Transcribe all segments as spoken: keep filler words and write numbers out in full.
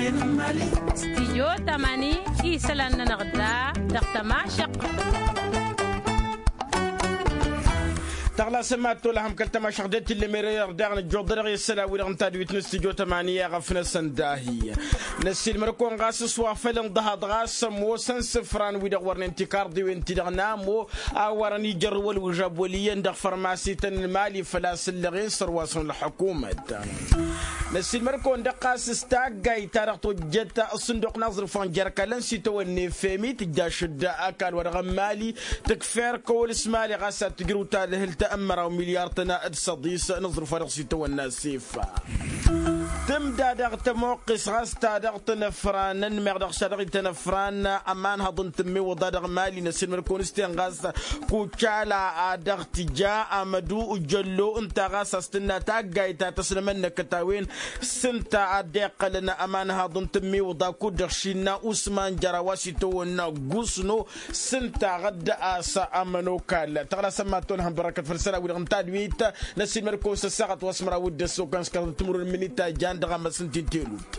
Stijyo tamani isălan-nănăɣ da dăɣ-tămašăɣt. Tăɣlasăm ad-tolăhăm kăl-tămašăɣt de tillem ere-dăɣ năjjoḍ dăɣ-isălan-wi-dăɣ n-tadwit n-stijyo tamani i-aɣăf-năsăn dahi. Năssiilmăr-kăwăn ɣas s-wa făl ǝnḍăhaḍ ɣas ămoosăn isǝfran-wi-dăɣ wărnen tikarḍiwen-ti-dăɣ n-amo a wărăn ijărrǝw ălwǝžžab wăl' iyyăn dăɣ-fărmasităn n-imali făl-a-s ǝllăɣen sărwasăn ălḥukumăt. Năssiilmăr-kăwăn-dăɣ ɣas s-taggayt-ta-dăɣ tojjăt ăṣṣǝnduq n-aẓrǝf wa n-jer-ăkall ănsitawănne femi tǝjjaš-dd ăkall-wa-dăɣ n-imali tǝkfer kăwăl s-imali ɣas ad-tǝjrǝw tadhǝlt n-măraw milyar-tăn d-săḍis n-aẓrǝf wa dăɣ-s itawănna s-ifa. Tǝmda dăɣ-tămoqqes ɣas ta dăɣ-tăn-ăfranăn meɣ dăɣ-s ta dăɣ-ităn-ăfran ămanhăḍ n-tǝmmiwǝḍa dăɣ-imali n-ăssiilmăd-kăwăn s-ten ɣas kucala a dăɣ-tǝja amădu jăllo ǝnta ɣas a-s tǝnna taggayt ta tăslămăn-năkăt a-wen s-ǝnta a dd-iqqălăn ămanhăḍ n-tǝmmiwǝḍa kud-dăɣ šinna usman jăr a-wa s-itawănna gusno s-ǝnta ɣădd a-s ămănokal tăɣlasăm mad-tolhăm bărăkăt făll-isălan-wi-dăɣ n-tadwit. Năssiilmăd-kăwăn s-ăssaɣăt wa s-măraw d-ăssokăn s-kăraḍ timǝrwen n-imǝnita jan dăɣ-amăs n-tintelut.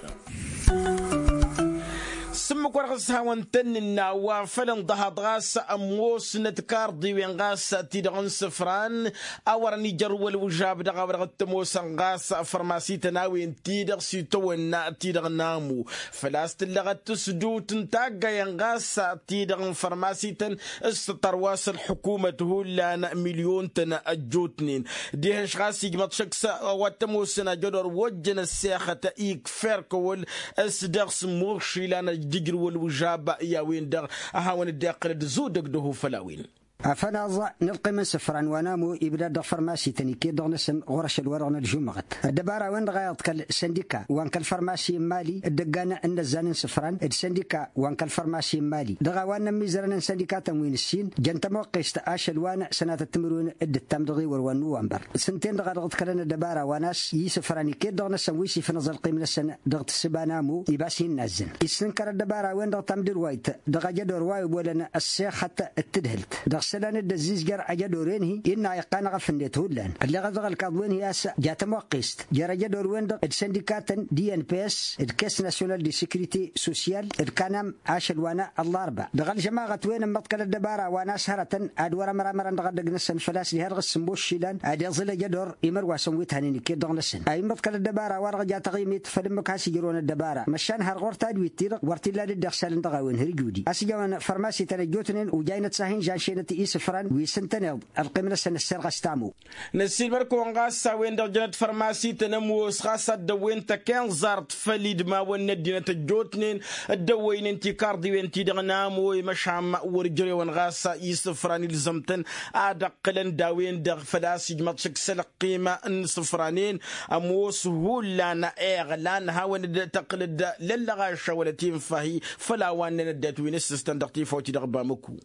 S-ǝmmǝk wa dăɣ-s hawăn-tăn-nǝnna wa făl ǝnḍăhaḍ ɣas ămoosnăt karḍiwen ɣas ti-dăɣ n-isǝfran a wărăn ijărrǝw ălwǝžžab dăɣ-a-wa dăɣ-t-ămoosăn ɣas fărmasităn a-wen-ti-dăɣ s-itawănna ti-dăɣ n-amu făl-a-s tǝllăɣăt tǝsdut n-taggayăn ɣas ti-dăɣ n-fărmasităn s-tărwas ălḥukumăt hullan milyon-tăn ăjjootnen. Diha-š ɣas ijmăḍ šăkk s-a-wa t-ămoosăn ajădor wa ojjăn ăssexăt ikfer kăwăl s-dăɣ-s ămmoos išilan ad-dd-ǝjrǝw ălwǝžžab i-a-wen-dăɣ a hawăn-dd-iqqǝl d-zudăg d-ăho făll-a-wen. Afănaẓ n-ălqim n-isǝfran wa n-amo ibdad dăɣ-fărmasităn iket-dăɣ-năsăn ɣur-ašăl-wa-dăɣ n-ălžumăɣăt ăddăbara-wen-dăɣ a iḍkăl săndika wa n-kăl-fărmasi n-imali dd-ăggan n-inăzzan n-isǝfran d-săndika wa n-kăl-fărmasi n-imali dăɣ-a-wa n-inămmizărăn n-săndikatăn wi n-ǝssin jăn tămoqqest ašăl wa n-sănatăt timǝrwen d-ǝttam dăɣ-iwăr wa n-nuwănbăr. S-ǝnta-en-dăɣ a dăɣ-ǝḍkălăn ăddăbara wa n-a-s i-isǝfran iket-dăɣ-năsăn wi s-ifnăẓ ălqim-năsăn dăɣ-tǝssǝba n-amo ibas hin-nazzăn issǝnkăr ăddăbara-wen-dăɣ tamdǝrwayt dăɣ-ajădor wa iwwălăn ăssexăt d-tǝdhǝlt dăɣ-isălan dd-ăzzizjăr ajădor-en-hi innă iqqan aɣăf-net hullan ălleɣăt dăɣ-ălkaḍ-wen-hi a-s ja tămoqqest jer-ajădor-wen-dăɣ d-săndikatăn d-i n p s d-kes nasyonal de sekrite sosyal d-kanam ašăl wa n-ăllarba dăɣ-ălžămaɣăt-wen ǝmmăḍkăl ăddăbara wa n-a-s hărătăn ad-wăr-ămramărăn dăɣ-ăddăg-năsăn făl-a-s diha-dăɣ s-sǝmmos išilan ad-iẓǝl ajădor imărwasăn wi t-hanen iket-dăɣ-năsăn a immăḍkăl ăddăbara-wa-dăɣ ja taɣimit făll-ǝmmǝk has-ijrăwăn ăddăbara măšan har ɣur-tadwit-ti-dăɣ wăr t-illa d-dd-iɣsalăn dăɣ-a-wen hărjudi a-s ǝjawăn fărmasităn ăjjootnen ujay năt s-ad-hin-žanšenăt isǝfran wi s-ǝntăneḍ ălqim-năsăn ăsserɣăs tamo. Năssiilmăr-kăwăn ɣas a-wen-dăɣ jănăt fărmasităn ămoos ɣas a dd-ăwwen takǝnẓart făll-idmawăn n-ăddinăt ăjjootnen dd-ăwwăynen tikarḍiwen-ti-dăɣ n-amo i-măšan wăr ǝjrewăn ɣas isǝfran ilzăm-tăn ad-ăqqǝlăn d-a-wen-dăɣ făl-a-s ijmăḍ šăkk s-ălqim n-isǝfran-en ămoos hullan iɣlan hawăn-dd-tăqqǝlăd lăllăɣaša wăla tinfahi făll-a-wa ǝnnen ăddinăt wi n-ǝssǝstăn dăɣ-tifawt-i-dăɣ bamăku.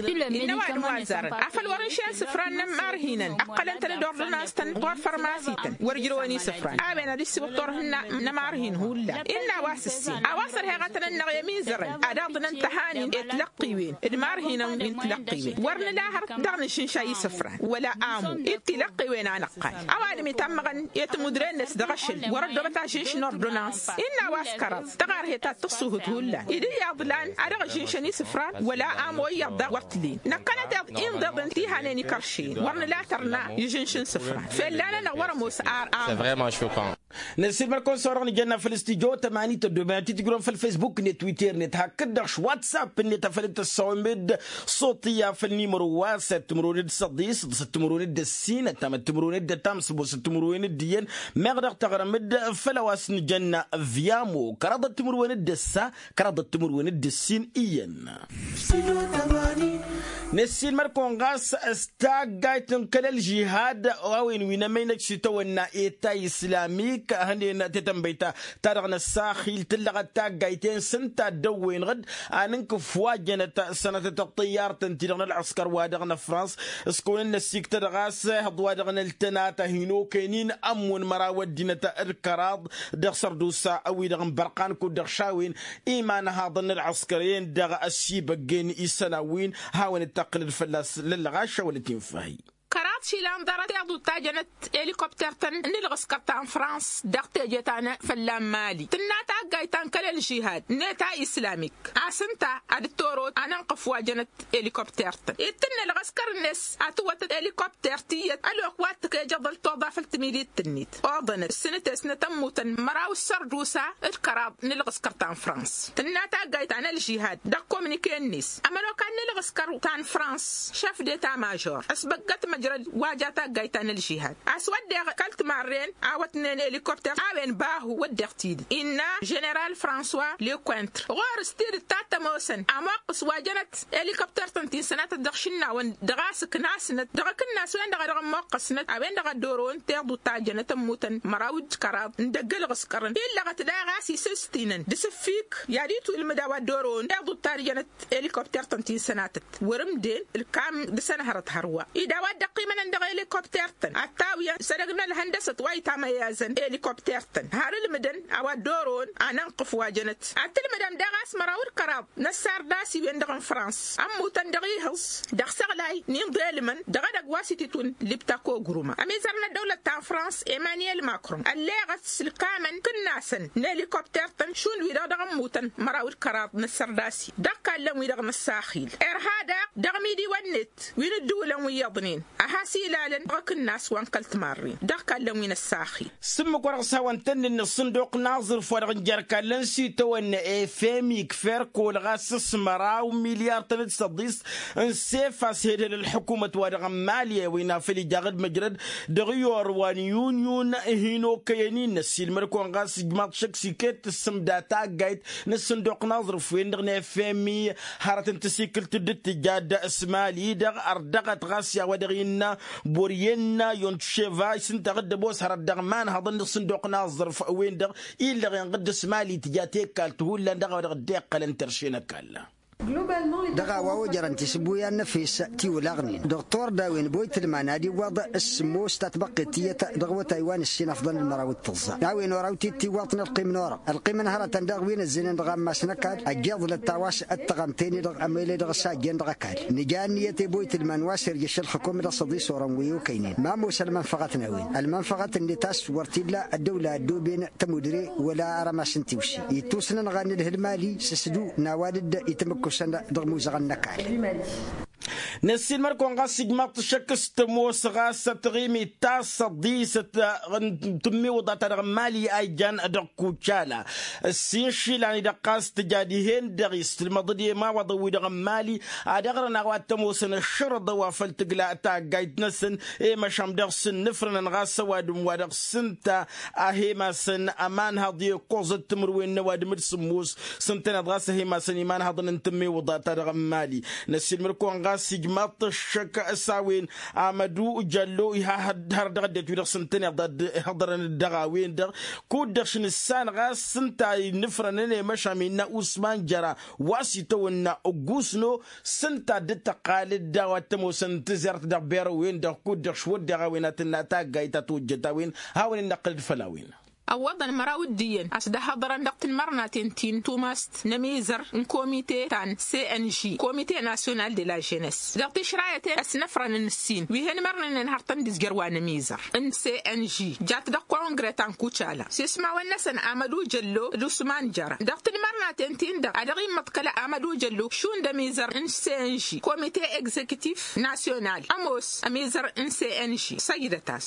Innă ăwadǝm wa ăzzarăn afăl wăr-ǝnšen isǝfran n-ămmarhinăn ǝqqălăn-tăn d-ordănans-tăn ɣur-fărmasităn wăr-ǝjrăwăn isǝfran a-wen ad-dd-siwǝḍ turhǝnna n-ămmarhin hullan innă a-wa s-ǝssin a-wa s-ărheɣătăn-năɣ i-ămizărăn ad-aḍǝnăn tăhanin i-tilăqqiwen d-imarhinăn wi n-tilăqqiwen wăr nǝla hărăt dăɣ-nǝšǝnša isǝfran wăla amo i-tilăqqiwen a năqqal ăwadǝm itammăɣăn i-timudren-net dăɣ-ašăl wăr-ăddoobăt ažǝnš n-ordănans innă a-wa s-kăraḍ tăɣarhet ta t-tǝṣṣuhǝt hullan idǝl i-aḍlan a dăɣ-ăžǝnšăn isǝfran wăla amo iyyăḍ daɣ wăr t-lin năkkănăteḍ inḍeḍăn ti hanen ikăršen wăr nǝla tărna i-ažǝnš n-isǝfran fell'-anănăɣ wăr-ămoos ar amo. Năssiilmăr-kăwăn s-a-wa-dăɣ nǝjănna făll-studyo tămani tăddoben ad-t-tǝjrǝwăn făll-fesbuk-net twitter-net hakd-dăɣ š-whatsapp-net afăl dd-tăssawăm-dd ṣuṭiyya făll-nimăro wa s-ăttǝmrăwăn d-săḍis d-săttǝmrăwăn d-ăssin ăttam ăttǝmrăwăn d-ăttam s-ăbos ăttǝmrăwăn d-iyyăn meɣ dăɣ-tăɣrăm-dd făll-a-wa s-nǝjănna viyamo kăraḍ ăttǝmrăwăn d-ăssa kăraḍ ăttǝmrăwăn d-ăssin iyyăn. Năssiilmăr-kăwăn ɣas s-taggayt n-kăl-ălžihad a-wen wi n-emăynăj s-itawănna eta islamik hănen tetănbăyt ta dăɣ-năssaxil tǝllăɣăt taggayt-en s-ǝnta a dd-ăwwăynăɣ-dd a nǝnkǝf wa jănăt sănatăt ăṭṭăyyar-tăn-ti-dăɣ n-ălɣăskăr wa dăɣ-năfrans s-kăwăn-dd-năssiktăd ɣas ehăḍ wa dăɣ-năltănat a hin-okăyăn-in ămmǝn măraw ăddinăt d-kăraḍ dăɣ-sărdusa wi-dăɣ n-bărqan kud-dăɣ šawen imanhaḍăn n-ălɣăskăr-en dăɣ-ăssibăggen isălan wi n-hawăn-dd-tăqqǝlăd fălla-s lăllăɣaša wăla tinfahi. Kăraḍ Išilan ḍarăt iḍuḍ tajănăt elikopter-tăn n-ǝlɣǝskăr ta n-frans dăɣ-teje ta n-fălla n-mali tǝnna taggayt ta n-kăl-ălžihad n-eta islamik. A-s ǝnta ad-dd-toro a n-ănqǝf wa jănăt elikopter-tăn ittǝnna ălɣăskăr-net. A tǝwwătăt elikopter tiyyăt ălwăqq wa t-tǝkejăḍăl toḍa făll-timidit-net oḍănăt ǝssǝnăt-e-s n-tămmutăn măraw d-sărdusa d-kăraḍ n-ǝlɣǝskăr ta n-frans. Tǝnna taggayt ta n-ălžihad dăɣ-kominike-net ămănokan n-ǝlɣǝskăr ta n-frans, šăf d-eta mažor ăsbăggăt măjrăd wa ja taggayt ta n-ălžihad a-s wădden kăl-timarren a wătnen elikopter a-wen bahu wădden tidǝt innă ženeral françois lekontr ɣur-s tidǝt ta t-ămoosăn amoqqăs wa jănăt elikopter-tăn ti n-sănatăt dăɣ-išǝnnawăn dăɣ-a-s ǝknasnăt dăɣ-akǝnnas-wen-dăɣ a dăɣ-ămmoqqăsnăt a-wen-dăɣ a dd-orăwăn tiḍut ta jănăt ămmutăn măraw d-kăraḍ n-dăgg ălɣǝskărăn illăɣăt daɣ a-s isǝstinăn d-asǝffik i-ad-itwǝlmǝd a-wa dd-orăwăn tiḍut ta jănăt elikopter-tăn ti n-sănatăt wăr-ǝmden ǝlkam dăɣ-săn hărăt hărwa-i d-a-wa dd-ăqqimănăn dăɣ-elikopter-tăn ad-t-awǝyăn s-edăgg n-ălhăndăsăt wa itamăyyazăn elikopter-tăn har ǝlmǝdăn a-wa dd-orăwăn anănqǝf wa jănăt ad-tǝlmǝdăm daɣ a-s măraw d-kăraḍ n-ăssar d-asiwen-dăɣ n-frans ămmutăn dăɣ-ihǝẓ dăɣ-săɣlay n-inḍelmăn dăɣ-edăgg wa s-ititwǝn libtako gruma ămizăr n-ăddăwlăt ta n-frans emăniyel makron ălleɣăt s-ǝlkamăn kǝnnasăn n-elikopter-tăn šund wi-dăɣ dăɣ-ămmutăn măraw d-kăraḍ n-ăssărdasi dăɣ-kallăn-wi-dăɣ n-ăssaxil irha daɣ dăɣ-imidiwăn-net wi n-ǝddǝwǝlăn wi iyyăḍnen a has-ilalăn dăɣ-akǝnnas wa n-kăl-timarren dăɣ-kallăn wi n-ăssaxil. S-ǝmmǝk wa dăɣ-s hawăn-tăn-dd-nǝsǝnduq n-aẓrǝf wa dăɣ-n jer-kallăn s-itawănna efemik ferkol ɣas s-măraw milyar-tăn d-săḍis n-sef a-s hedhăl ălḥukumăt wa dăɣ-n mali a-wen a făl ija aɣǝd măjrăd dăɣ-iyor wa n-yunyun. Hin-okăyăn-in năssiilmăd-kăwăn ɣas ijmaḍ šăkk s-iket tǝssǝmda taggayt n-ǝssǝnduq n-aẓrǝf-wen-dăɣ n-efemi hărăt n-tasikǝlt dd-tǝjja d-s mali-dăɣ ărdăɣăt ɣas i-a-wa dăɣ-innă boryenna yontševa s-ǝnta aɣǝd ămoos hărăt dăɣ-imanhăḍăn n-ǝssǝnduq n-aẓrǝf-wen-dăɣ illăɣ inɣǝd s-mali tǝja tekalt hullan dăɣ-a-wa dăɣ-dd-iqqălăn terše n-ăkall. Dăɣ-a-wa ojărăn tisǝbbuyan n-efes tiwǝlaɣnen dăɣ-turda a-wen boytǝlman ad-iwwăḍ s-sǝmmos tatbăqqet tiyyăt dăɣ-awătay wa n-ǝssin afḍăn d-măraw d-tǝẓẓa a-wen oraw-t-dd tiwwăḍt n-ălqim n-orăɣ ălqim n-hărătăn daɣ wi n-ăzzenen dăɣ-ammas n-ăkall ăjjeḍlăt ta wa s-ăttăɣăm teni-dăɣ ămele dăɣ-s a ăjjeen dăɣ-ăkall. Nǝja ǝnniyăt i-boytǝlman wa s-irjăš ălxǝkum dăɣ-săḍisorăn wi okăynen ma ămoos ălmănfăɣăt n-a-wen ălmănfăɣăt-net a-s wăr t-illa ăddăwla ăddooben tămudre wăla arămas n-tiwse ittus n-ănɣan n-ǝlhǝl mali s-ǝsdu n-a-wa dd-i tǝmǝkkusăn dăɣ-imuzăɣăn n-ăkall. Năssiilmăr-kăwăn ɣas ijmaḍ-t šăkk s-tămoos ɣas ătɣimit ta s-ăḍḍisăt n-tǝmmiwǝḍa-ta-dăɣ n-mali a ijan dăɣ-kucala ǝssin išilan-i-dăɣ ɣas tǝja dihen-dăɣ istǝlmăḍ-dd i-imawaḍăn-wi-dăɣ n-mali ad-ăɣrǝn a-wa t-ămoosăn ăššărăḍăn wa făl tǝgla taggayt-năsăn i-măšan dăɣ-s ǝnnǝfrănăn ɣas ăwadǝm wa dăɣ-s ǝnta a he-masăn ămanhăḍ i-ǝkkoẓăt timǝrwen n-ăwadǝm d-sǝmmos s-ǝntăneḍ ɣas a he-masăn imanhăḍăn n-tǝmmiwǝḍa-ta-dăɣ n-mali. Năssiilmăr-kăwăn ɣas ijmaḍ-t ăššăk s-a-wen amădu jăllo iha hărăt dăɣ-ăddinăt wi-dăɣ s-ǝntăneḍ a dd-ihăḍărăn-dd dăɣ-a-wen-dăɣ kud-dăɣ šăn ǝssan ɣas s-ǝnta innǝfrănăn i-măšan innă usman jăra wa s-itawănna ǝggusno s-ǝnta a dd-tăqqal-dd a-wa t-ămoosăn tǝzert dăɣ-berăwen-dăɣ kud-dăɣ šwăddeɣ a-wen ad-tǝnna taggayt ta tojjăt a-wen. Hawăn-in-năqqǝl-dd făll-a-wen. Ăwwăḍăn măraw d-iyyăn a-s dd-ăhhăḍărăn dăɣ-tinmărnaten ti n-tumast n-ămizăr n-komite ta n-cng komite nasyonal de la jenes dăɣ-tišrayăt i-ăsnăfrăn n-ǝssin wi hen-imărnănen hărătăn d-izjăr wa n-ămizăr n-cng jat dăɣ-kongre ta n-kucala s-ismawăn-năsăn amădu jăllo d-usman jăra dăɣ-tinmărnaten-tin-dăɣ a dăɣ-immăḍkăl amădu jăllo šund ămizăr n-cng komite egzekitif nasyonal ămoos ămizăr n-cng săjdăt-as.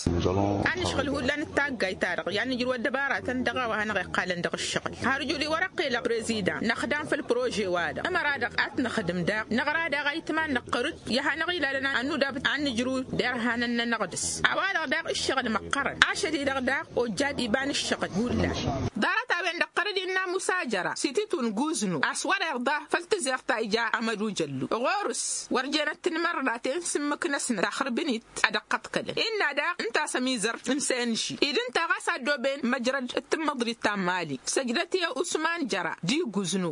A nǝšɣǝl hullan d-taggayt-ta-dăɣ i-ad-nǝjrǝw ăddăbaratăn dăɣ-a-wa hanăɣ-iqqalăn dăɣ-ǝššăɣǝl har ǝjud i-wăr-ăqqilăɣ prezidan năxdam făll-prože-wa-dăɣ ămăra-dăɣ ad-t-năxdǝm daɣ năɣra daɣ a itman năqqăr-dd i-ad-hanăɣ-ilalăn ad-nudab ad-nǝjrǝw d-erhanăn-nănăɣ dăɣ-s a-wa-dăɣ daɣ ǝššăɣǝl măqqărăn ašăl-i-dăɣ daɣ ojjad iba n-ǝššăɣǝl hullan. Ḍarăt-a-wen-dăɣ tăr-dd innă musa jăra s-ititun guznu a-s wăr-irḍa făll-tǝzert ta ija amădu jăllu ɣur-s wăr jenăt tinmărnaten s-ǝmmǝk-năsnăt taxrǝbnit ad-ăqqăḍkălăn innă daɣ ǝnta a-s ămizăr n-senži-i d-ǝnta ɣas a ăddooben măjrăd d-tǝmmăḍrit ta n-mali săjdăt i-usman jăra d-iguznu.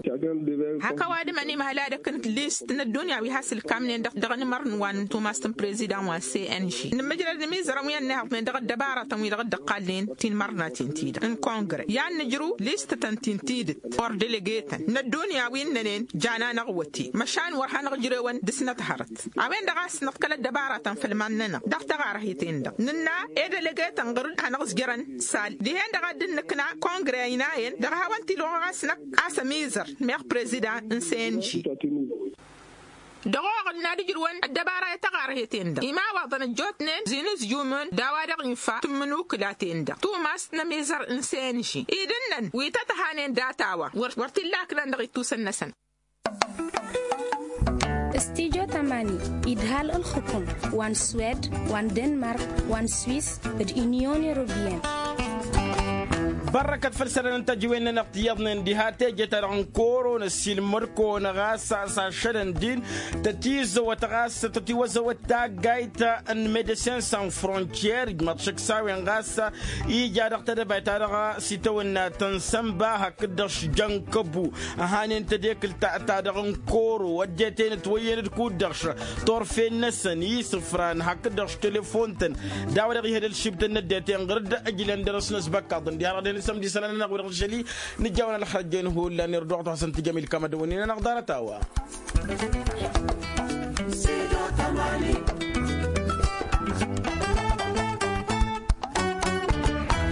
Hak ăwadǝm ănimhăl ad-ăkk n-list n-ăddunya wi has-ǝlkamnen dăɣ-inmărăn wa n-tumast n-prezidan wa n-senži n-măjrăd n-imizărăn wi ănnihăḍnen dăɣ-ăddăbaratăn wi-dăɣ dd-ăqqalnen tinmărnaten-ti-dăɣ n-kongre i-ad-nǝjrǝw listătăn-ti. N-tidǝt ɣur-delegetăn n-ăddunya wi ǝnnănen jan-anăɣ wăte măšan wăr hanăɣ-ǝjrewăn dăɣ-snăt hărăt. A-wen-dăɣ a-s nǝḍkăl ăddăbarătăn făll-iman-nănăɣ dăɣ-taɣarheten-dăɣ nǝnna edelegetăn ɣur-dd hanăɣ-ǝzjărăn sal dihen-dăɣ a dd-nǝkna kongre ăynayăn dăɣ-hawăn-t-ilwăɣ ɣas năkk a-s ămizăr meɣ prezidan n-senži. Dăɣ-oɣǝl n-ad-ǝjrǝwăn ăddăbara i-taɣarheten-dăɣ imawaḍăn ăjjootnen zinǝzjumăn d-a-wa-dăɣ infa tǝmmǝnukǝla-ten-dăɣ tumast n-ămizăr n-senži idǝnnăn wi tăt-hanen data-wa wăr t-illa ǝknan dăɣ-ittusăn-năsăn. Studyo tamani idhal ǝlxǝkum wa n-swed wa n-denmark wa n-swis d-inyon europiyăn. Bărrăkăt făll-isălan n-tăjǝwen-nănăɣ ti iyyăḍnen diha teje-ta-dăɣ n-kăwăr-o n-ăssiilmăd-kăwăn ɣas a-s ašălăn din tăt-izăwăt ɣas tăt-iwăzăwăt taggayt n-medecin san frontier ijmaḍ šăkk s-a-wen ɣas ija dăɣ-tedăbayt-ta-dăɣ s-itawănna tănsănba hakd-dăɣ s-jăn kăbu ăhanen tedekǝlt ta-dăɣ n-kăwăr-o ăddinăt wăyyen d-kud-dăɣ s-torfen-năsăn isǝfran hakd-dăɣ s-telefon-tăn d-a-wa-dăɣ ihădăl šibtăn n-ăddinăt ɣur-dd ǝjlăn dăr-s n-ăsbăkkaḍ n-diha-dăɣ dăɣ-nǝsămdi isălan-nănăɣ wi-dăɣ n-ašăl-i nǝjjaw n-ălxărăjjen hullan irduɣ-t hasăn-tǝjăm ilkam ad-dăwănnen-anăɣ ḍarăt-a-wa.